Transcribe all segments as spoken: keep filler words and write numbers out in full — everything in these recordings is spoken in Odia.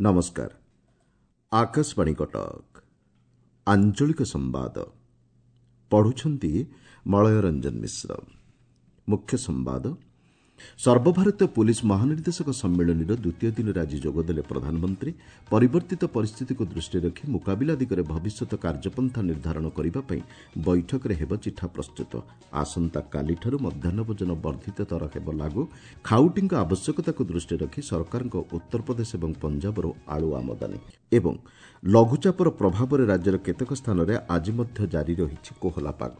ନମସ୍କାର ଆକାଶବାଣୀ କଟକ ଆଞ୍ଚଳିକ ସମ୍ବାଦ ପଢୁଛନ୍ତି ମଳୟ ରଞ୍ଜନ ମିଶ୍ର ମୁଖ୍ୟ ସମ୍ବାଦ ସର୍ବଭାରତୀୟ ପୁଲିସ୍ ମହାନିର୍ଦ୍ଦେଶକ ସମ୍ମିଳନୀର ଦ୍ୱିତୀୟ ଦିନରେ ଆଜି ଯୋଗଦେଲେ ପ୍ରଧାନମନ୍ତ୍ରୀ ପରିବର୍ତ୍ତିତ ପରିସ୍ଥିତିକୁ ଦୃଷ୍ଟିରେ ରଖି ମୁକାବିଲା ଦିଗରେ ଭବିଷ୍ୟତ କାର୍ଯ୍ୟପନ୍ଥା ନିର୍ଦ୍ଧାରଣ କରିବା ପାଇଁ ବୈଠକରେ ହେବ ଚିଠା ପ୍ରସ୍ତୁତ ଆସନ୍ତାକାଲିଠାରୁ ମଧ୍ୟାହ୍ନ ଭୋଜନ ବର୍ଦ୍ଧିତ ଦର ହେବ ଲାଗୁ ଖାଉଟିଙ୍କ ଆବଶ୍ୟକତାକୁ ଦୃଷ୍ଟିରେ ରଖି ସରକାରଙ୍କ ଉତ୍ତରପ୍ରଦେଶ ଏବଂ ପଞ୍ଜାବରୁ ଆଳୁ ଆମଦାନୀ ଏବଂ ଲଘୁଚାପର ପ୍ରଭାବରେ ରାଜ୍ୟର କେତେକ ସ୍ଥାନରେ ଆଜି ମଧ୍ୟ ଜାରି ରହିଛି କୋହଲା ପାଗ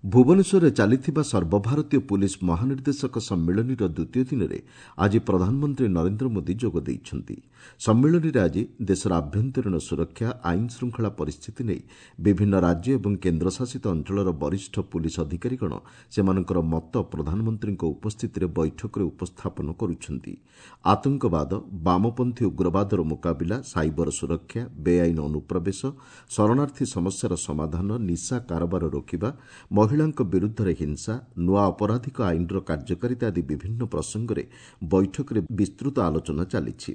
ଭୁବନେଶ୍ୱରରେ ଚାଲିଥିବା ସର୍ବଭାରତୀୟ ପୁଲିସ୍ ମହାନିର୍ଦ୍ଦେଶକ ସମ୍ମିଳନୀର ଦ୍ୱିତୀୟ ଦିନରେ ଆଜି ପ୍ରଧାନମନ୍ତ୍ରୀ ନରେନ୍ଦ୍ର ମୋଦି ଯୋଗ ଦେଇଛନ୍ତି ସମ୍ମିଳନୀରେ ଆଜି ଦେଶର ଆଭ୍ୟନ୍ତରୀଣ ସୁରକ୍ଷା ଆଇନ ଶୃଙ୍ଖଳା ପରିସ୍ଥିତି ନେଇ ବିଭିନ୍ନ ରାଜ୍ୟ ଏବଂ କେନ୍ଦ୍ରଶାସିତ ଅଞ୍ଚଳର ବରିଷ୍ଠ ପୁଲିସ୍ ଅଧିକାରୀଗଣ ସେମାନଙ୍କର ମତ ପ୍ରଧାନମନ୍ତ୍ରୀଙ୍କ ଉପସ୍ଥିତିରେ ବୈଠକରେ ଉପସ୍ଥାପନ କରୁଛନ୍ତି ଆତଙ୍କବାଦ ବାମପନ୍ଥୀ ଉଗ୍ରବାଦର ମୁକାବିଲା ସାଇବର ସୁରକ୍ଷା ବେଆଇନ ଅନୁପ୍ରବେଶ ଶରଣାର୍ଥୀ ସମସ୍ୟାର ସମାଧାନ ନିଶା କାରବାର ରୋକିବା ମହିଳାଙ୍କ ବିରୁଦ୍ଧରେ ହିଂସା ନୂଆ ଅପରାଧିକ ଆଇନର କାର୍ଯ୍ୟକାରିତା ଆଦି ବିଭିନ୍ନ ପ୍ରସଙ୍ଗରେ ବୈଠକରେ ବିସ୍ତୃତ ଆଲୋଚନା ଚାଲିଛି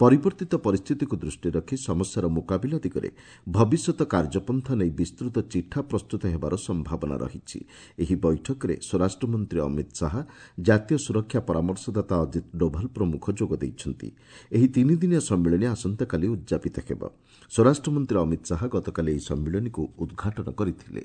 ପରିବର୍ତ୍ତିତ ପରିସ୍ଥିତିକୁ ଦୃଷ୍ଟିରେ ରଖି ସମସ୍ୟାର ମୁକାବିଲା ଦିଗରେ ଭବିଷ୍ୟତ କାର୍ଯ୍ୟପନ୍ଥା ନେଇ ବିସ୍ତୃତ ଚିଠା ପ୍ରସ୍ତୁତ ହେବାର ସମ୍ଭାବନା ରହିଛି ଏହି ବୈଠକରେ ସ୍ୱରାଷ୍ଟ୍ରମନ୍ତ୍ରୀ ଅମିତ ଶାହା ଜାତୀୟ ସୁରକ୍ଷା ପରାମର୍ଶଦାତା ଅଜିତ ଡୋଭାଲ ପ୍ରମୁଖ ଯୋଗ ଦେଇଛନ୍ତି ଏହି ତିନିଦିନିଆ ସମ୍ମିଳନୀ ଆସନ୍ତାକାଲି ଉଦ୍ଯାପିତ ହେବ ସ୍ୱରାଷ୍ଟ୍ରମନ୍ତ୍ରୀ ଅମିତ ଶାହା ଗତକାଲି ଏହି ସମ୍ମିଳନୀକୁ ଉଦ୍ଘାଟନ କରିଥିଲେ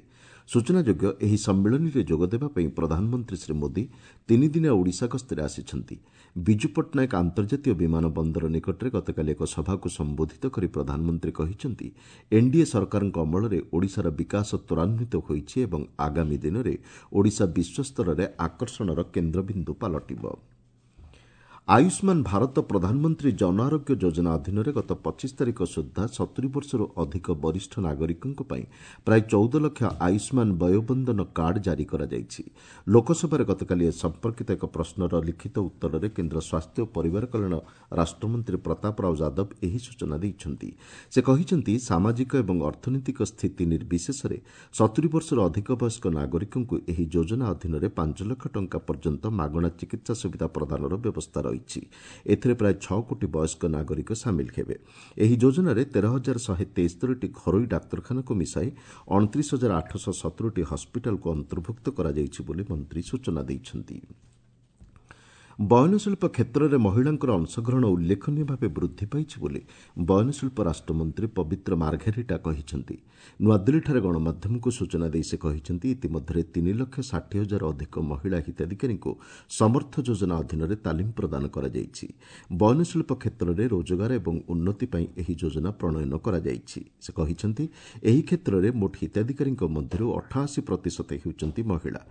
ସୂଚନାଯୋଗ୍ୟ ଏହି ସମ୍ମିଳନୀରେ ଯୋଗଦେବା ପାଇଁ ପ୍ରଧାନମନ୍ତ୍ରୀ ଶ୍ରୀ ମୋଦି ତିନିଦିନିଆ ଓଡ଼ିଶା ଗସ୍ତରେ ଆସିଛନ୍ତି ବିଜୁ ପଟ୍ଟନାୟକ ଆନ୍ତର୍ଜାତୀୟ ବିମାନ ବନ୍ଦର ନିକଟରେ ଗତକାଲି ଏକ ସଭାକୁ ସମ୍ବୋଧିତ କରି ପ୍ରଧାନମନ୍ତ୍ରୀ କହିଛନ୍ତି ଏନ୍ଡିଏ ସରକାରଙ୍କ ଅମଳରେ ଓଡ଼ିଶାର ବିକାଶ ତ୍ୱରାନ୍ୱିତ ହୋଇଛି ଏବଂ ଆଗାମୀ ଦିନରେ ଓଡ଼ିଶା ବିଶ୍ୱସ୍ତରରେ ଆକର୍ଷଣର କେନ୍ଦ୍ରବିନ୍ଦୁ ପାଲଟିବ ଆୟୁଷ୍ମାନ ଭାରତ ପ୍ରଧାନମନ୍ତ୍ରୀ ଜନ ଆରୋଗ୍ୟ ଯୋଜନା ଅଧୀନରେ ଗତ ପଚିଶ ତାରିଖ ସୁଦ୍ଧା ସତୁରି ବର୍ଷରୁ ଅଧିକ ବରିଷ୍ଠ ନାଗରିକଙ୍କ ପାଇଁ ପ୍ରାୟ ଚଉଦ ଲକ୍ଷ ଆୟୁଷ୍ମାନ ବୟୋବନ୍ଦନ କାର୍ଡ ଜାରି କରାଯାଇଛି ଲୋକସଭାରେ ଗତକାଲି ଏ ସମ୍ପର୍କିତ ଏକ ପ୍ରଶ୍ନର ଲିଖିତ ଉତ୍ତରରେ କେନ୍ଦ୍ର ସ୍ୱାସ୍ଥ୍ୟ ଓ ପରିବାର କଲ୍ୟାଣ ରାଷ୍ଟ୍ରମନ୍ତ୍ରୀ ପ୍ରତାପ ରାଓ ଯାଦବ ଏହି ସୂଚନା ଦେଇଛନ୍ତି ସେ କହିଛନ୍ତି ସାମାଜିକ ଏବଂ ଅର୍ଥନୈତିକ ସ୍ଥିତି ନିର୍ବିଶେଷରେ ସତୁରି ବର୍ଷରୁ ଅଧିକ ବୟସ୍କ ନାଗରିକଙ୍କୁ ଏହି ଯୋଜନା ଅଧୀନରେ ପାଞ୍ଚ ଲକ୍ଷ ଟଙ୍କା ପର୍ଯ୍ୟନ୍ତ ମାଗଣା ଚିକିତ୍ସା ସୁବିଧା ପ୍ରଦାନର ବ୍ୟବସ୍ଥା ରହିଛି ଏଥିରେ ପ୍ରାୟ ଛଅ କୋଟି ବୟସ୍କ ନାଗରିକ ସାମିଲ ହେବେ ଏହି ଯୋଜନାରେ ତେର ହଜାର ଶହେ ତେସ୍ତରୀଟି ଘରୋଇ ଡାକ୍ତରଖାନାକୁ ମିଶାଇ ଅଣତିରିଶ ହଜାର ଆଠଶହ ସତୁରିଟି ହସ୍ପିଟାଲକୁ ଅନ୍ତର୍ଭୁକ୍ତ କରାଯାଇଛି ବୋଲି ମନ୍ତ୍ରୀ ସୂଚନା ଦେଇଛନ୍ତି ବୟନଶିଳ୍ପ କ୍ଷେତ୍ରରେ ମହିଳାଙ୍କର ଅଂଶଗ୍ରହଣ ଉଲ୍ଲେଖନୀୟ ଭାବେ ବୃଦ୍ଧି ପାଇଛି ବୋଲି ବୟନଶିଳ୍ପ ରାଷ୍ଟ୍ରମନ୍ତ୍ରୀ ପବିତ୍ର ମାର୍ଘେରିଟା କହିଛନ୍ତି ନୂଆଦିଲ୍ଲୀଠାରେ ଗଣମାଧ୍ୟମକୁ ସୂଚନା ଦେଇ ସେ କହିଛନ୍ତି ଇତିମଧ୍ୟରେ ତିନି ଲକ୍ଷ ଷାଠିଏ ହଜାର ଅଧିକ ମହିଳା ହିତାଧିକାରୀଙ୍କୁ ସମର୍ଥ ଯୋଜନା ଅଧୀନରେ ତାଲିମ ପ୍ରଦାନ କରାଯାଇଛି ବୟନଶିଳ୍ପ କ୍ଷେତ୍ରରେ ରୋଜଗାର ଏବଂ ଉନ୍ନତି ପାଇଁ ଏହି ଯୋଜନା ପ୍ରଣୟନ କରାଯାଇଛି ସେ କହିଛନ୍ତି ଏହି କ୍ଷେତ୍ରରେ ମୋଟ ହିତାଧିକାରୀଙ୍କ ମଧ୍ୟରୁ ଅଠାଅଶୀ ପ୍ରତିଶତ ହେଉଛନ୍ତି ମହିଳା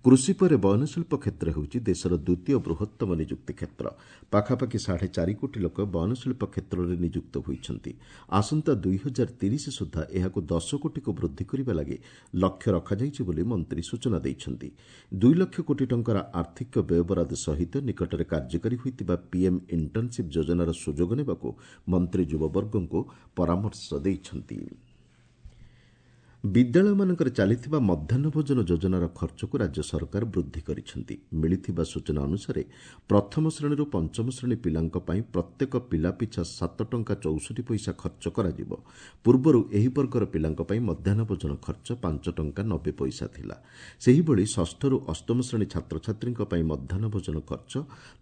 କୃଷି ପରେ ବୟନଶିଳ୍ପ କ୍ଷେତ୍ର ହେଉଛି ଦେଶର ଦ୍ୱିତୀୟ ବୃହତ୍ତମ ନିଯୁକ୍ତି କ୍ଷେତ୍ର ପାଖାପାଖି ସାଢ଼େ ଚାରି କୋଟି ଲୋକ ବୟନଶିଳ୍ପ କ୍ଷେତ୍ରରେ ନିଯୁକ୍ତ ହୋଇଛନ୍ତି ଆସନ୍ତା ଦୁଇ ହଜାର ତିରିଶ ସୁଦ୍ଧା ଏହାକୁ ଦଶ କୋଟିକୁ ବୃଦ୍ଧି କରିବା ଲାଗି ଲକ୍ଷ୍ୟ ରଖାଯାଇଛି ବୋଲି ମନ୍ତ୍ରୀ ସୂଚନା ଦେଇଛନ୍ତି ଦୁଇ ଲକ୍ଷ କୋଟି ଟଙ୍କାର ଆର୍ଥିକ ବ୍ୟୟବରାଦ ସହିତ ନିକଟରେ କାର୍ଯ୍ୟକାରୀ ହୋଇଥିବା ପିଏମ୍ ଇଣ୍ଟର୍ଣ୍ଣସିପ୍ ଯୋଜନାର ସୁଯୋଗ ନେବାକୁ ମନ୍ତ୍ରୀ ଯୁବବର୍ଗଙ୍କୁ ପରାମର୍ଶ ଦେଇଛନ୍ତି ବିଦ୍ୟାଳୟମାନଙ୍କରେ ଚାଲିଥିବା ମଧ୍ୟାହ୍ନ ଭୋଜନ ଯୋଜନାର ଖର୍ଚ୍ଚକୁ ରାଜ୍ୟ ସରକାର ବୃଦ୍ଧି କରିଛନ୍ତି ମିଳିଥିବା ସୂଚନା ଅନୁସାରେ ପ୍ରଥମ ଶ୍ରେଣୀରୁ ପଞ୍ଚମ ଶ୍ରେଣୀ ପିଲାଙ୍କ ପାଇଁ ପ୍ରତ୍ୟେକ ପିଲା ପିଛା ସାତ ଟଙ୍କା ଚଉଷଠି ପଇସା ଖର୍ଚ୍ଚ କରାଯିବ ପୂର୍ବରୁ ଏହି ବର୍ଗର ପିଲାଙ୍କ ପାଇଁ ମଧ୍ୟାହ୍ନ ଭୋଜନ ଖର୍ଚ୍ଚ ପାଞ୍ଚ ଟଙ୍କା ନବେ ପଇସା ଥିଲା ସେହିଭଳି ଷଷ୍ଠରୁ ଅଷ୍ଟମ ଶ୍ରେଣୀ ଛାତ୍ରଛାତ୍ରୀଙ୍କ ପାଇଁ ମଧ୍ୟାହ୍ନ ଭୋଜନ ଖର୍ଚ୍ଚ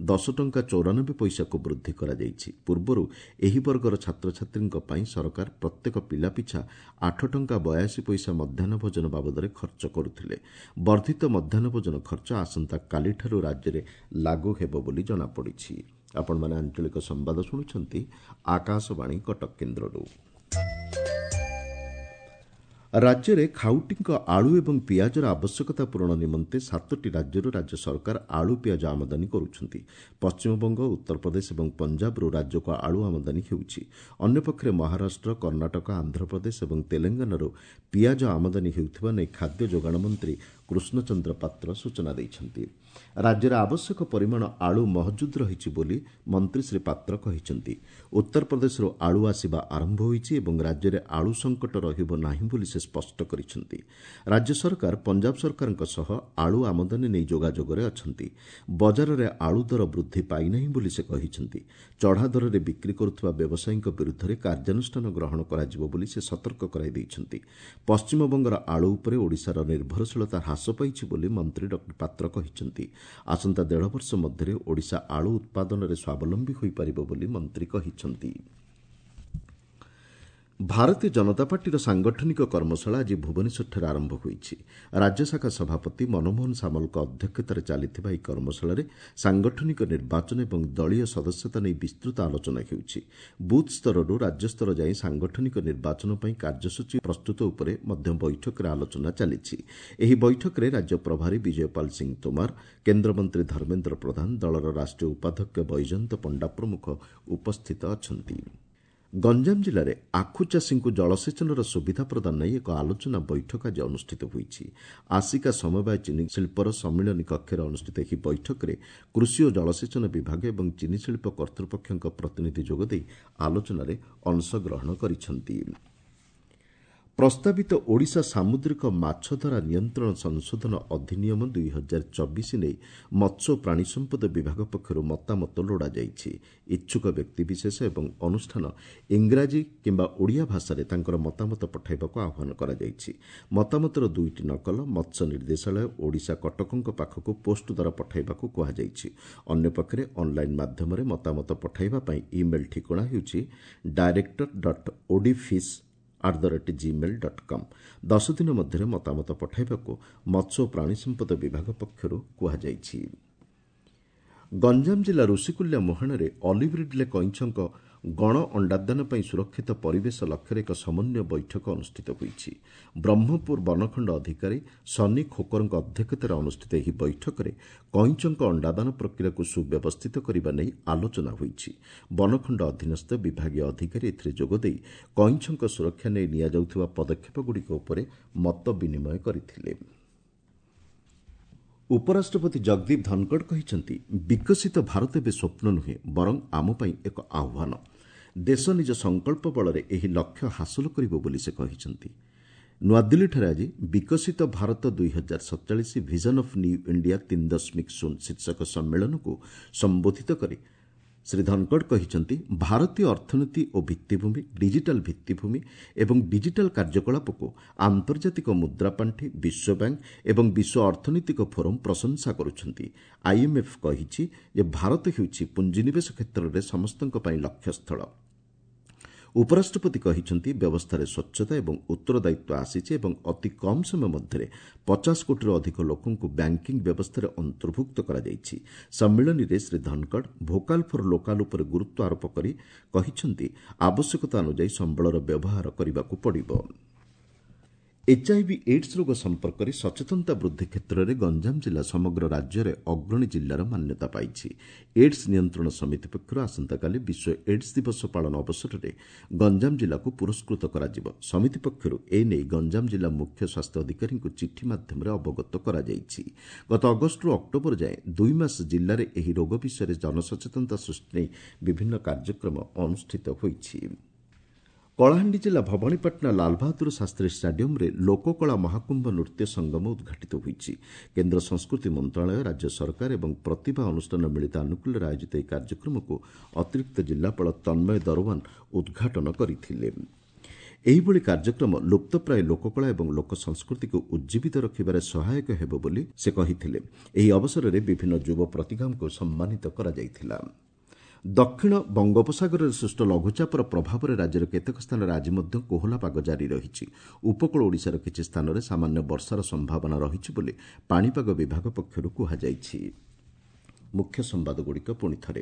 ଦଶ ଟଙ୍କା ଚଉରାନବେ ପଇସାକୁ ବୃଦ୍ଧି କରାଯାଇଛି ପୂର୍ବରୁ ଏହି ବର୍ଗର ଛାତ୍ରଛାତ୍ରୀଙ୍କ ପାଇଁ ସରକାର ପ୍ରତ୍ୟେକ ପିଲା ପିଛା ଆଠ ଟଙ୍କା ବୟାଅଶୀ ପଇସା ମଧ୍ୟାହ୍ନ ଭୋଜନ ବାବଦରେ ଖର୍ଚ୍ଚ କରୁଥିଲେ ବର୍ଦ୍ଧିତ ମଧ୍ୟାହ୍ନ ଭୋଜନ ଖର୍ଚ୍ଚ ଆସନ୍ତାକାଲିଠାରୁ ରାଜ୍ୟରେ ଲାଗୁ ହେବ ବୋଲି ଜଣାପଡ଼ିଛି ଆପଣମାନେ ଆଞ୍ଚଳିକ ସମ୍ବାଦ ଶୁଣୁଛନ୍ତି ଆକାଶବାଣୀ କଟକ କେନ୍ଦ୍ରରୁ ରାଜ୍ୟରେ ଖାଉଟିଙ୍କ ଆଳୁ ଏବଂ ପିଆଜର ଆବଶ୍ୟକତା ପୂରଣ ନିମନ୍ତେ ସାତଟି ରାଜ୍ୟରୁ ରାଜ୍ୟ ସରକାର ଆଳୁ ପିଆଜ ଆମଦାନୀ କରୁଛନ୍ତି ପଶ୍ଚିମବଙ୍ଗ ଉତ୍ତରପ୍ରଦେଶ ଏବଂ ପଞ୍ଜାବରୁ ରାଜ୍ୟକୁ ଆଳୁ ଆମଦାନୀ ହେଉଛି ଅନ୍ୟପକ୍ଷରେ ମହାରାଷ୍ଟ୍ର କର୍ଣ୍ଣାଟକ ଆନ୍ଧ୍ରପ୍ରଦେଶ ଏବଂ ତେଲେଙ୍ଗାନାରୁ ପିଆଜ ଆମଦାନୀ ହେଉଥିବା ନେଇ ଖାଦ୍ୟ ଯୋଗାଣ ମନ୍ତ୍ରୀ କୃଷ୍ଣଚନ୍ଦ୍ର ପାତ୍ର ସୂଚନା ଦେଇଛନ୍ତି। ରାଜ୍ୟରେ ଆବଶ୍ୟକ ପରିମାଣ ଆଳୁ ମହଜୁଦ ରହିଛି ବୋଲି ମନ୍ତ୍ରୀ ଶ୍ରୀ ପାତ୍ର କହିଛନ୍ତି। ଉତ୍ତରପ୍ରଦେଶରୁ ଆଳୁ ଆସିବା ଆରମ୍ଭ ହୋଇଛି ଏବଂ ରାଜ୍ୟରେ ଆଳୁ ସଙ୍କଟ ରହିବ ନାହିଁ ବୋଲି ସେ ସ୍ପଷ୍ଟ କରିଛନ୍ତି। ରାଜ୍ୟ ସରକାର ପଞ୍ଜାବ ସରକାରଙ୍କ ସହ ଆଳୁ ଆମଦାନୀ ନେଇ ଯୋଗାଯୋଗରେ ଅଛନ୍ତି। ବଜାରରେ ଆଳୁ ଦର ବୃଦ୍ଧି ପାଇନାହିଁ ବୋଲି ସେ କହିଛନ୍ତି। ଚଢ଼ା ଦରରେ ବିକ୍ରି କରୁଥିବା ବ୍ୟବସାୟୀଙ୍କ ବିରୁଦ୍ଧରେ କାର୍ଯ୍ୟାନୁଷ୍ଠାନ ଗ୍ରହଣ କରାଯିବ ବୋଲି ସେ ସତର୍କ କରାଇ ଦେଇଛନ୍ତି। ପଶ୍ଚିମବଙ୍ଗର ଆଳୁ ଉପରେ ଓଡ଼ିଶାର ନିର୍ଭରଶୀଳତା ହ୍ରାସ ପାଇଛି ବୋଲି ମନ୍ତ୍ରୀ ଡକ୍ଟର ପାତ୍ର କହିଛନ୍ତି। ଆସନ୍ତା ଦେଢ଼ ବର୍ଷ ମଧ୍ୟରେ ଓଡ଼ିଶା ଆଳୁ ଉତ୍ପାଦନରେ ସ୍ୱାବଲମ୍ବୀ ହୋଇପାରିବ ବୋଲି ମନ୍ତ୍ରୀ କହିଛନ୍ତି। ଭାରତୀୟ ଜନତା ପାର୍ଟିର ସାଂଗଠନିକ କର୍ମଶାଳା ଆଜି ଭୁବନେଶ୍ୱରଠାରେ ଆରମ୍ଭ ହୋଇଛି। ରାଜ୍ୟଶାଖା ସଭାପତି ମନମୋହନ ସାମଲଙ୍କ ଅଧ୍ୟକ୍ଷତାରେ ଚାଲିଥିବା ଏହି କର୍ମଶାଳାରେ ସାଂଗଠନିକ ନିର୍ବାଚନ ଏବଂ ଦଳୀୟ ସଦସ୍ୟତା ନେଇ ବିସ୍ତୃତ ଆଲୋଚନା ହେଉଛି। ବୁଥ୍ ସ୍ତରରୁ ରାଜ୍ୟସ୍ତର ଯାଏଁ ସାଂଗଠନିକ ନିର୍ବାଚନ ପାଇଁ କାର୍ଯ୍ୟସୂଚୀ ପ୍ରସ୍ତୁତ ଉପରେ ମଧ୍ୟ ବୈଠକରେ ଆଲୋଚନା ଚାଲିଛି। ଏହି ବୈଠକରେ ରାଜ୍ୟ ପ୍ରଭାରୀ ବିଜୟପାଲ ସିଂ ତୋମାର, କେନ୍ଦ୍ରମନ୍ତ୍ରୀ ଧର୍ମେନ୍ଦ୍ର ପ୍ରଧାନ, ଦଳର ରାଷ୍ଟ୍ରୀୟ ଉପାଧ୍ୟକ୍ଷ ବୈଜୟନ୍ତ ପଣ୍ଡା ପ୍ରମୁଖ ଉପସ୍ଥିତ ଅଛନ୍ତି। ଗଞ୍ଜାମ ଜିଲ୍ଲାରେ ଆଖୁ ଚାଷୀଙ୍କୁ ଜଳସେଚନର ସୁବିଧା ପ୍ରଦାନ ନେଇ ଏକ ଆଲୋଚନା ବୈଠକ ଆଜି ଅନୁଷ୍ଠିତ ହୋଇଛି। ଆସିକା ସମବାୟ ଚିନି ଶିଳ୍ପର ସମ୍ମିଳନୀ କକ୍ଷରେ ଅନୁଷ୍ଠିତ ଏହି ବୈଠକରେ କୃଷି ଓ ଜଳସେଚନ ବିଭାଗ ଏବଂ ଚିନିଶିଳ୍ପ କର୍ତ୍ତୃପକ୍ଷଙ୍କ ପ୍ରତିନିଧି ଯୋଗଦେଇ ଆଲୋଚନାରେ ଅଂଶଗ୍ରହଣ କରିଛନ୍ତି। ପ୍ରସ୍ତାବିତ ଓଡ଼ିଶା ସାମୁଦ୍ରିକ ମାଛଧରା ନିୟନ୍ତ୍ରଣ ସଂଶୋଧନ ଅଧିନିୟମ ଦୁଇ ହଜାର ଚବିଶ ନେଇ ମତ୍ସ୍ୟ ଓ ପ୍ରାଣୀ ସମ୍ପଦ ବିଭାଗ ପକ୍ଷରୁ ମତାମତ ଲୋଡ଼ାଯାଇଛି। ଇଚ୍ଛୁକ ବ୍ୟକ୍ତିବିଶେଷ ଏବଂ ଅନୁଷ୍ଠାନ ଇଂରାଜୀ କିମ୍ବା ଓଡ଼ିଆ ଭାଷାରେ ତାଙ୍କର ମତାମତ ପଠାଇବାକୁ ଆହ୍ୱାନ କରାଯାଇଛି। ମତାମତର ଦୁଇଟି ନକଲ ମତ୍ସ୍ୟ ନିର୍ଦ୍ଦେଶାଳୟ ଓଡ଼ିଶା କଟକଙ୍କ ପାଖକୁ ପୋଷ୍ଟ ଦ୍ୱାରା ପଠାଇବାକୁ କୁହାଯାଇଛି। ଅନ୍ୟପକ୍ଷରେ ଅନ୍ଲାଇନ୍ ମାଧ୍ୟମରେ ମତାମତ ପଠାଇବା ପାଇଁ ଇମେଲ୍ ଠିକଣା ହେଉଛି director dot odfish at the rate Gmail dot com. ଦଶ ଦିନ ମଧ୍ୟରେ ମତାମତ ପଠାଇବାକୁ ମତ୍ସ୍ୟ ଓ ପ୍ରାଣୀ ସମ୍ପଦ ବିଭାଗ ପକ୍ଷରୁ କୁହାଯାଇଛି। ଗଞ୍ଜାମ ଜିଲ୍ଲା ଋଷିକୁଲ୍ୟା ମୁହାଣରେ ଅଲିଭ୍ ରିଡ୍ଲେ କଇଁଛଙ୍କ ଗଣ ଅଣ୍ଡାଦାନ ପାଇଁ ସୁରକ୍ଷିତ ପରିବେଶ ଲକ୍ଷ୍ୟରେ ଏକ ସମନ୍ୱୟ ବୈଠକ ଅନୁଷ୍ଠିତ ହୋଇଛି। ବ୍ରହ୍ମପୁର ବନଖଣ୍ଡ ଅଧିକାରୀ ସନି ଖୋକରଙ୍କ ଅଧ୍ୟକ୍ଷତାରେ ଅନୁଷ୍ଠିତ ଏହି ବୈଠକରେ କଇଁଛଙ୍କ ଅଣ୍ଡାଦାନ ପ୍ରକ୍ରିୟାକୁ ସୁବ୍ୟବସ୍ଥିତ କରିବା ନେଇ ଆଲୋଚନା ହୋଇଛି। ବନଖଣ୍ଡ ଅଧୀନସ୍ଥ ବିଭାଗୀୟ ଅଧିକାରୀ ଏଥିରେ ଯୋଗଦେଇ କଇଁଛଙ୍କ ସୁରକ୍ଷା ନେଇ ନିଆଯାଉଥିବା ପଦକ୍ଷେପଗୁଡ଼ିକ ଉପରେ ମତ ବିନିମୟ କରିଥିଲେ। ଉପରାଷ୍ଟ୍ରପତି ଜଗଦୀପ ଧନଖଡ଼ କହିଛନ୍ତି, ବିକଶିତ ଭାରତ ଏବେ ସ୍ୱପ୍ନ ନୁହେଁ ବରଂ ଆମ ପାଇଁ ଏକ ଆହ୍ୱାନ। ଦେଶ ନିଜ ସଂକଳ୍ପ ବଳରେ ଏହି ଲକ୍ଷ୍ୟ ହାସଲ କରିବ ବୋଲି ସେ କହିଛନ୍ତି। ନୂଆଦିଲ୍ଲୀଠାରେ ଆଜି ବିକଶିତ ଭାରତ ଦୁଇ ହଜାର ସତଚାଳିଶ ଭିଜନ ଅଫ୍ ନ୍ୟୁ ଇଣ୍ଡିଆ ତିନି ଦଶମିକ ଶୂନ ଶୀର୍ଷକ ସମ୍ମିଳନୀକୁ ସମ୍ବୋଧିତ କରି ଶ୍ରୀ ଧନଖଡ଼ କହିଛନ୍ତି, ଭାରତୀୟ ଅର୍ଥନୀତି ଓ ଭିତ୍ତିଭୂମି, ଡିଜିଟାଲ ଭିତ୍ତିଭୂମି ଏବଂ ଡିଜିଟାଲ କାର୍ଯ୍ୟକଳାପକୁ ଆନ୍ତର୍ଜାତିକ ମୁଦ୍ରାପାଣ୍ଠି, ବିଶ୍ୱ ବ୍ୟାଙ୍କ ଏବଂ ବିଶ୍ୱ ଅର୍ଥନୈତିକ ଫୋରମ୍ ପ୍ରଶଂସା କରୁଛନ୍ତି। ଆଇଏମ୍ଏଫ୍ କହିଛି ଯେ ଭାରତ ହେଉଛି ପୁଞ୍ଜିନିବେଶ କ୍ଷେତ୍ରରେ ସମସ୍ତଙ୍କ ପାଇଁ ଲକ୍ଷ୍ୟସ୍ଥଳ। ଉପରାଷ୍ଟ୍ରପତି କହିଛନ୍ତି, ବ୍ୟବସ୍ଥାରେ ସ୍ୱଚ୍ଛତା ଏବଂ ଉତ୍ତରଦାୟିତ୍ୱ ଆସିଛି ଏବଂ ଅତି କମ୍ ସମୟ ମଧ୍ୟରେ ପଚାଶ କୋଟିରୁ ଅଧିକ ଲୋକଙ୍କୁ ବ୍ୟାଙ୍କିଂ ବ୍ୟବସ୍ଥାରେ ଅନ୍ତର୍ଭୁକ୍ତ କରାଯାଇଛି। ସମ୍ମିଳନୀରେ Shri Dhankhar vocal for local ଉପରେ ଗୁରୁତ୍ୱ ଆରୋପ କରି କହିଛନ୍ତି, ଆବଶ୍ୟକତା ଅନୁଯାୟୀ ସମ୍ବଳର ବ୍ୟବହାର କରିବାକୁ ପଡ଼ିବ। ଏଚ୍ଆଇଭି ଏଡ୍ସ ରୋଗ ସମ୍ପର୍କରେ ସଚେତନତା ବୃଦ୍ଧି କ୍ଷେତ୍ରରେ ଗଞ୍ଜାମ ଜିଲ୍ଲା ସମଗ୍ର ରାଜ୍ୟରେ ଅଗ୍ରଣୀ ଜିଲ୍ଲାର ମାନ୍ୟତା ପାଇଛି। ଏଡ୍ସ ନିୟନ୍ତ୍ରଣ ସମିତି ପକ୍ଷରୁ ଆସନ୍ତାକାଲି ବିଶ୍ୱ ଏଡ୍ସ ଦିବସ ପାଳନ ଅବସରରେ ଗଞ୍ଜାମ ଜିଲ୍ଲାକୁ ପୁରସ୍କୃତ କରାଯିବ। ସମିତି ପକ୍ଷରୁ ଏନେଇ ଗଞ୍ଜାମ ଜିଲ୍ଲା ମୁଖ୍ୟ ସ୍ୱାସ୍ଥ୍ୟ ଅଧିକାରୀଙ୍କୁ ଚିଠି ମାଧ୍ୟମରେ ଅବଗତ କରାଯାଇଛି। ଗତ ଅଗଷ୍ଟରୁ ଅକ୍ଟୋବର ଯାଏଁ ଦୁଇ ମାସ ଜିଲ୍ଲାରେ ଏହି ରୋଗ ବିଷୟରେ ଜନସଚେତନତା ସୃଷ୍ଟି ନେଇ ବିଭିନ୍ନ କାର୍ଯ୍ୟକ୍ରମ ଅନୁଷ୍ଠିତ ହୋଇଛି। କଳାହାଣ୍ଡି ଜିଲ୍ଲା ଭବାନୀପାଟଣା ଲାଲବାହାଦୁର ଶାସ୍ତ୍ରୀ ଷ୍ଟାଡିୟମ୍ରେ ଲୋକକଳା ମହାକୁମ୍ଭ ନୃତ୍ୟ ସଙ୍ଗମ ଉଦ୍ଘାଟିତ ହୋଇଛି। କେନ୍ଦ୍ର ସଂସ୍କୃତି ମନ୍ତ୍ରଣାଳୟ, ରାଜ୍ୟ ସରକାର ଏବଂ ପ୍ରତିଭା ଅନୁଷ୍ଠାନ ମିଳିତ ଆନୁକୂଲ୍ୟରେ ଆୟୋଜିତ ଏହି କାର୍ଯ୍ୟକ୍ରମକୁ ଅତିରିକ୍ତ ଜିଲ୍ଲାପାଳ ତନ୍ମୟ ଦରୱାନ ଉଦ୍ଘାଟନ କରିଥିଲେ। ଏହିଭଳି କାର୍ଯ୍ୟକ୍ରମ ଲୁପ୍ତପ୍ରାୟ ଲୋକକଳା ଏବଂ ଲୋକ ସଂସ୍କୃତିକୁ ଉଜ୍ଜୀବିତ ରଖିବାରେ ସହାୟକ ହେବ ବୋଲି ସେ କହିଥିଲେ। ଏହି ଅବସରରେ ବିଭିନ୍ନ ଯୁବ ପ୍ରତିଭାଙ୍କୁ ସମ୍ମାନିତ କରାଯାଇଥିଲା। ଦକ୍ଷିଣ ବଙ୍ଗୋପସାଗରରେ ସୃଷ୍ଟ ଲଘୁଚାପର ପ୍ରଭାବରେ ରାଜ୍ୟର କେତେକ ସ୍ଥାନରେ ଆଜି ମଧ୍ୟ କୋହଲା ପାଗ ଜାରି ରହିଛି। ଉପକୂଳ ଓଡ଼ିଶାର କିଛି ସ୍ଥାନରେ ସାମାନ୍ୟ ବର୍ଷାର ସମ୍ଭାବନା ରହିଛି ବୋଲି ପାଣିପାଗ ବିଭାଗ ପକ୍ଷରୁ କୁହାଯାଇଛି। ମୁଖ୍ୟ ସମ୍ବାଦଗୁଡ଼ିକ ପୁଣି ଥରେ।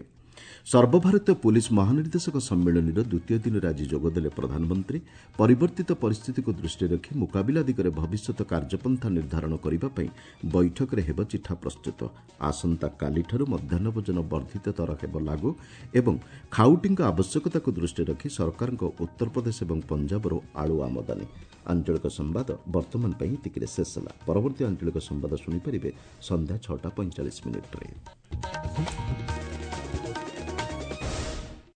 ସର୍ବଭାରତୀୟ ପୁଲିସ୍ ମହାନିର୍ଦ୍ଦେଶକ ସମ୍ମିଳନୀର ଦ୍ୱିତୀୟ ଦିନରେ ଆଜି ଯୋଗଦେଲେ ପ୍ରଧାନମନ୍ତ୍ରୀ। ପରିବର୍ତ୍ତିତ ପରିସ୍ଥିତିକୁ ଦୃଷ୍ଟିରେ ରଖି ମୁକାବିଲା ଦିଗରେ ଭବିଷ୍ୟତ କାର୍ଯ୍ୟପନ୍ଥା ନିର୍ଦ୍ଧାରଣ କରିବା ପାଇଁ ବୈଠକରେ ହେବ ଚିଠା ପ୍ରସ୍ତୁତ। ଆସନ୍ତାକାଲିଠାରୁ ମଧ୍ୟାହ୍ନ ଭୋଜନ ବର୍ଦ୍ଧିତ ଦର ହେବ ଲାଗୁ ଏବଂ ଖାଉଟିଙ୍କ ଆବଶ୍ୟକତାକୁ ଦୃଷ୍ଟିରେ ରଖି ସରକାରଙ୍କ ଉତ୍ତରପ୍ରଦେଶ ଏବଂ ପଞ୍ଜାବରୁ ଆଳୁ ଆମଦାନୀ। ଆଞ୍ଚଳିକ ସମ୍ବାଦ ବର୍ତ୍ତମାନ ପାଇଁ ଏତିକିରେ ଶେଷ ହେଲା। ପରବର୍ତ୍ତୀ ଆଞ୍ଚଳିକ ସମ୍ବାଦ ଶୁଣିପାରିବେ ସନ୍ଧ୍ୟା ଛଅଟା ପଇଁଚାଳିଶ ମିନିଟ୍ରେ।